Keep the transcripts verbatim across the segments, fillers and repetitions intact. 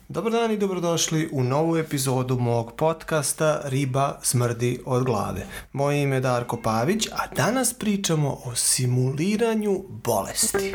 Dobar dan i dobrodošli u novu epizodu mog podcasta Riba smrdi od glave. Moje ime je Darko Pavić, a danas pričamo o simuliranju bolesti.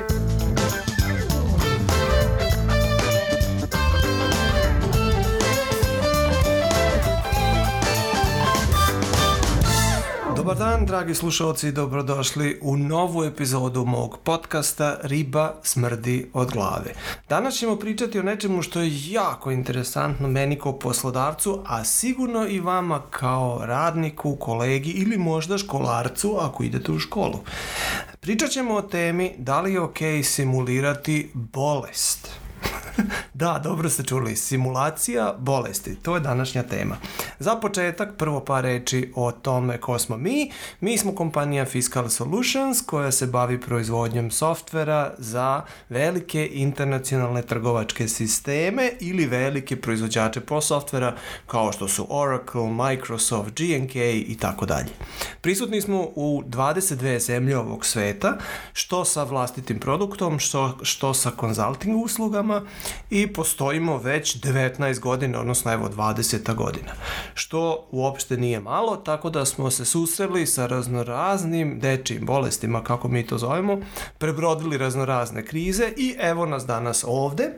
Dobar dan, dragi slušalci, dobrodošli u novu epizodu mog podcasta Riba smrdi od glave. Danas ćemo pričati o nečemu što je jako interesantno meni kao poslodavcu, a sigurno i vama kao radniku, kolegi ili možda školarcu ako idete u školu. Pričat ćemo o temi da li je ok simulirati bolest. Da, dobro ste čuli, simulacija bolesti, to je današnja tema. Za početak, prvo par reči o tome ko smo mi. Mi smo kompanija Fiscal Solutions koja se bavi proizvodnjom softvera za velike internacionalne trgovačke sisteme ili velike proizvođače po softvera kao što su Oracle, Microsoft, G N K i tako dalje. Prisutni smo u dvadeset dve zemlje ovog sveta, što sa vlastitim produktom, što, što sa consulting uslugama, i postojimo već devetnaest godina, odnosno evo dvadeset godina, što uopšte nije malo, tako da smo se susreli sa raznoraznim dečijim bolestima, kako mi to zovemo, prebrodili raznorazne krize i evo nas danas ovde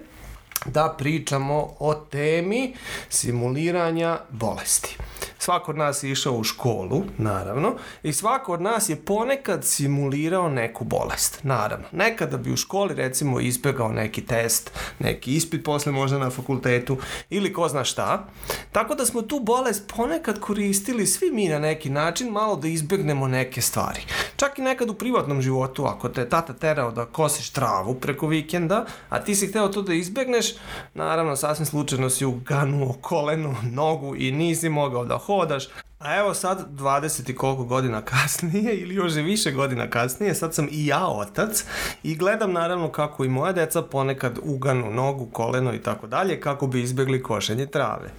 da pričamo o temi simuliranja bolesti. Svako od nas je išao u školu, naravno, i svako od nas je ponekad simulirao neku bolest, naravno. Nekada bi u školi, recimo, izbjegao neki test, neki ispit posle možda na fakultetu ili ko zna šta. Tako da smo tu bolest ponekad koristili svi mi na neki način, malo da izbjegnemo neke stvari. Čak i nekad u privatnom životu, ako te tata terao da kosiš travu preko vikenda, a ti si hteo to da izbjegneš, naravno, sasvim slučajno si uganuo koleno, nogu i nisi mogao da hodaš. A evo sad, dvadeset i koliko godina kasnije, ili još i više godina kasnije, sad sam i ja otac i gledam naravno kako i moja deca ponekad uganu nogu, koleno i tako dalje, kako bi izbjegli košenje trave.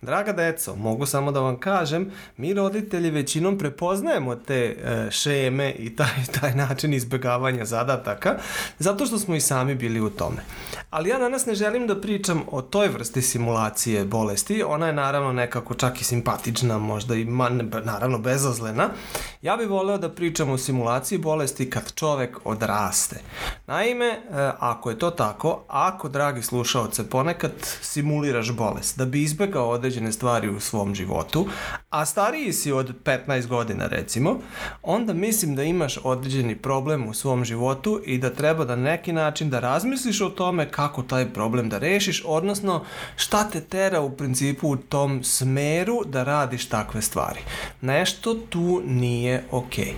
Draga deco, mogu samo da vam kažem, mi roditelji većinom prepoznajemo te e, šeme i taj, taj način izbjegavanja zadataka, zato što smo i sami bili u tome. Ali ja danas ne želim da pričam o toj vrsti simulacije bolesti, ona je naravno nekako čak i simpatična, možda i Man, naravno bezazlena. Ja bih voleo da pričam o simulaciji bolesti kad čovek odraste. Naime, ako je to tako, ako, dragi slušaoce, ponekad simuliraš bolest da bi izbegao određene stvari u svom životu, a stariji si od petnaest godina recimo, onda mislim da imaš određeni problem u svom životu i da treba da neki način da razmisliš o tome kako taj problem da rešiš, odnosno šta te tera u principu u tom smeru da radiš takve stvari. Nešto tu nije okej.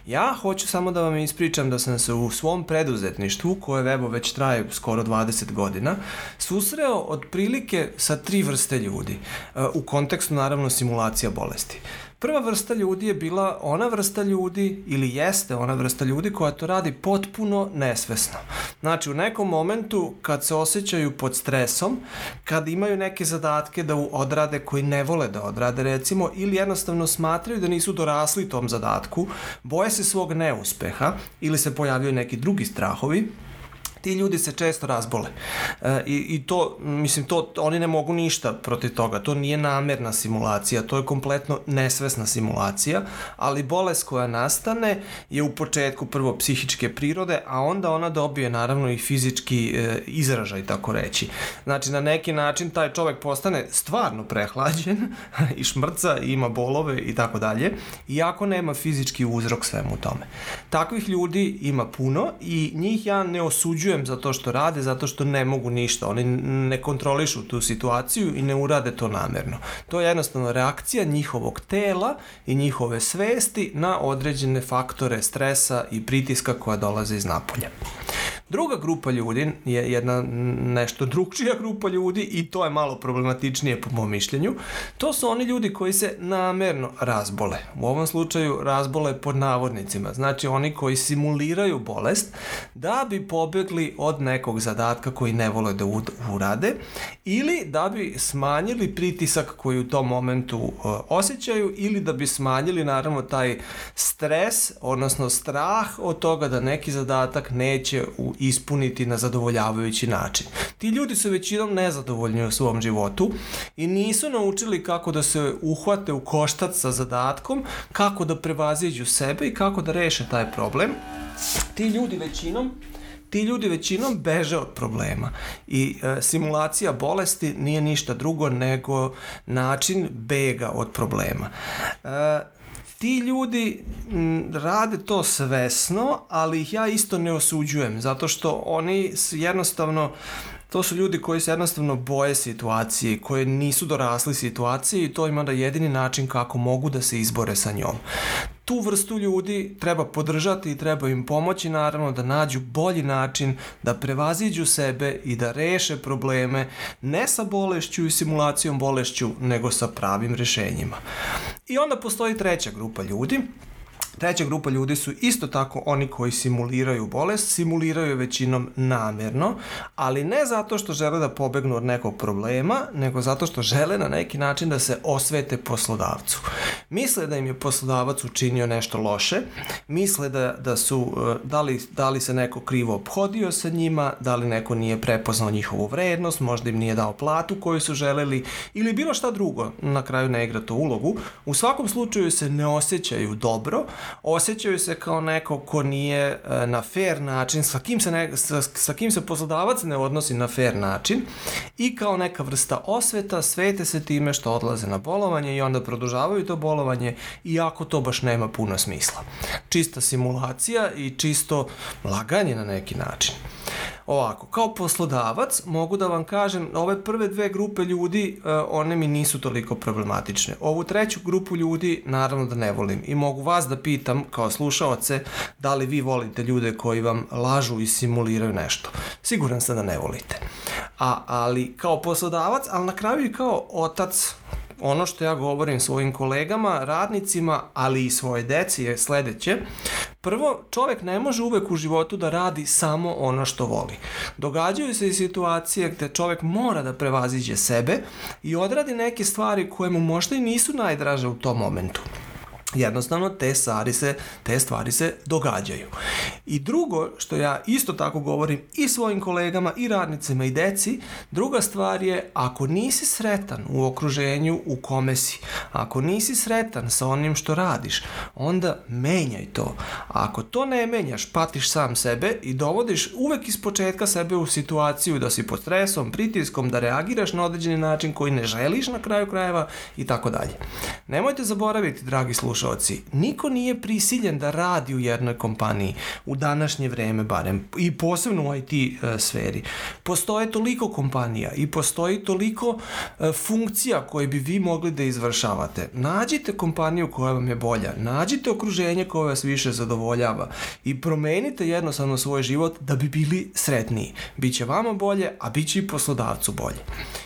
Ja hoću samo da vam ispričam da sam se u svom preduzetništvu, koje evo već traje skoro dvadeset godina, susreo otprilike sa tri vrste ljudi, u kontekstu naravno simulacija bolesti. Prva vrsta ljudi je bila ona vrsta ljudi, ili jeste ona vrsta ljudi koja to radi potpuno nesvesno. Znači, u nekom momentu kad se osjećaju pod stresom, kad imaju neke zadatke da odrade koji ne vole da odrade, recimo, ili jednostavno smatraju da nisu dorasli tom zadatku, boje se svog neuspeha ili se pojavljaju neki drugi strahovi, ti ljudi se često razbole. E, i, i to, mislim, to, oni ne mogu ništa protiv toga. To nije namerna simulacija, to je kompletno nesvesna simulacija, ali bolest koja nastane je u početku prvo psihičke prirode, a onda ona dobije naravno i fizički e, izražaj, tako reći. Znači, na neki način taj čovek postane stvarno prehlađen i šmrca, i ima bolove i tako dalje, iako nema fizički uzrok svemu tome. Takvih ljudi ima puno i njih ja ne osuđujem zato što rade, zato što ne mogu ništa. Oni ne kontrolišu tu situaciju i ne urade to namerno. To je jednostavno reakcija njihovog tela i njihove svesti na određene faktore stresa i pritiska koja dolaze iz napolja. Druga grupa ljudi je jedna nešto drugčija grupa ljudi i to je malo problematičnije po mom mišljenju. To su oni ljudi koji se namerno razbole. U ovom slučaju razbole pod navodnicima. Znači oni koji simuliraju bolest da bi pobjegli od nekog zadatka koji ne vole da urade ili da bi smanjili pritisak koji u tom momentu uh, osjećaju ili da bi smanjili naravno taj stres, odnosno strah od toga da neki zadatak neće u ispuniti na zadovoljavajući način. Ti ljudi su većinom nezadovoljni u svom životu i nisu naučili kako da se uhvate u koštac sa zadatkom, kako da prevaziđu sebe i kako da reše taj problem. Ti ljudi većinom Ti ljudi većinom beže od problema i e, simulacija bolesti nije ništa drugo nego način bega od problema. E, ti ljudi m, rade to svesno, ali ih ja isto ne osuđujem, zato što oni jednostavno to su ljudi koji se jednostavno boje situacije, koji nisu dorasli situaciji i to im onda jedini način kako mogu da se izbore sa njom. Tu vrstu ljudi treba podržati i treba im pomoći naravno da nađu bolji način da prevaziđu sebe i da reše probleme ne sa bolešću i simulacijom bolešću, nego sa pravim rešenjima. I onda postoji treća grupa ljudi. Treća grupa ljudi su isto tako oni koji simuliraju bolest, simuliraju većinom namjerno, ali ne zato što žele da pobegnu od nekog problema, nego zato što žele na neki način da se osvete poslodavcu. Misle da im je poslodavac učinio nešto loše, misle da, da su, da li, da li se neko krivo ophodio sa njima, da li neko nije prepoznao njihovu vrednost, možda im nije dao platu koju su želeli ili bilo šta drugo, na kraju ne igra to ulogu. U svakom slučaju se ne osjećaju dobro, osjećaju se kao neko ko nije na fair način, sa kim se, ne, sa, sa kim se poslodavac ne odnosi na fair način i kao neka vrsta osveta svete se time što odlaze na bolovanje i onda produžavaju to bolovanje iako to baš nema puno smisla. Čista simulacija i čisto laganje na neki način. Ovako, kao poslodavac mogu da vam kažem, ove prve dve grupe ljudi, uh, one mi nisu toliko problematične. Ovu treću grupu ljudi naravno da ne volim i mogu vas da pitam kao slušaoce da li vi volite ljude koji vam lažu i simuliraju nešto. Siguran sam da ne volite. A, ali kao poslodavac, ali na kraju i kao otac, ono što ja govorim svojim kolegama, radnicima, ali i svoje deci je sledeće. Prvo, čovjek ne može uvek u životu da radi samo ono što voli. Događaju se i situacije gde čovjek mora da prevaziđe sebe i odradi neke stvari koje mu možda i nisu najdraže u tom momentu. Jednostavno te stvari se, te stvari se događaju. I drugo što ja isto tako govorim i svojim kolegama i radnicima i deci, druga stvar je ako nisi sretan u okruženju u kome si, ako nisi sretan sa onim što radiš, onda menjaj to. A ako to ne menjaš, patiš sam sebe i dovodiš uvek iz početka sebe u situaciju da si pod stresom, pritiskom, da reagiraš na određeni način koji ne želiš na kraju krajeva i tako dalje. Nemojte zaboraviti, dragi slušalci, niko nije prisiljen da radi u jednoj kompaniji u današnje vreme barem i posebno u I T uh, sferi. Postoje toliko kompanija i postoji toliko uh, funkcija koje bi vi mogli da izvršavate. Nađite kompaniju koja vam je bolja, nađite okruženje koje vas više zadovoljava i promenite jednostavno svoj život da bi bili sretniji. Biće vama bolje, a biće i poslodavcu bolje.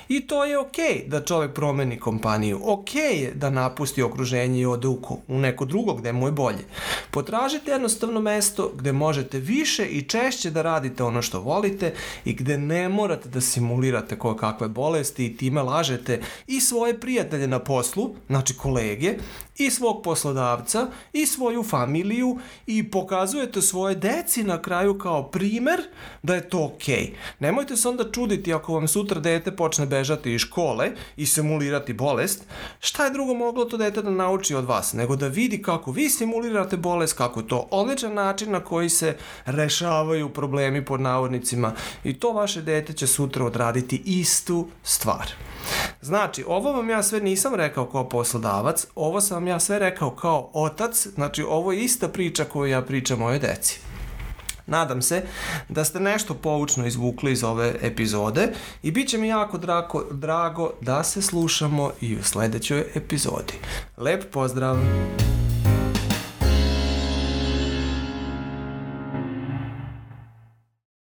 I to je okej okay da čovjek promeni kompaniju, okej okay je da napusti okruženje i ode u u neko drugo gde mu je bolje. Potražite jednostavno mesto gde možete više i češće da radite ono što volite i gde ne morate da simulirate koje kakve bolesti i time lažete i svoje prijatelje na poslu, znači kolege, i svog poslodavca i svoju familiju i pokazujete svoje deci na kraju kao primer da je to okej. Okay. Nemojte se onda čuditi ako vam sutra dete počne bežati iz škole i simulirati bolest. Šta je drugo moglo to dete da nauči od vas, nego da vidi kako vi simulirate bolest, kako je to odličan način na koji se rešavaju problemi pod navodnicima i to vaše dete će sutra odraditi istu stvar. Znači, ovo vam ja sve nisam rekao kao poslodavac, ovo sam ja sve rekao kao otac, znači ovo je ista priča koju ja pričam mojoj deci. Nadam se da ste nešto poučno izvukli iz ove epizode i bit će mi jako drago, drago da se slušamo i u sledećoj epizodi. Lep pozdrav!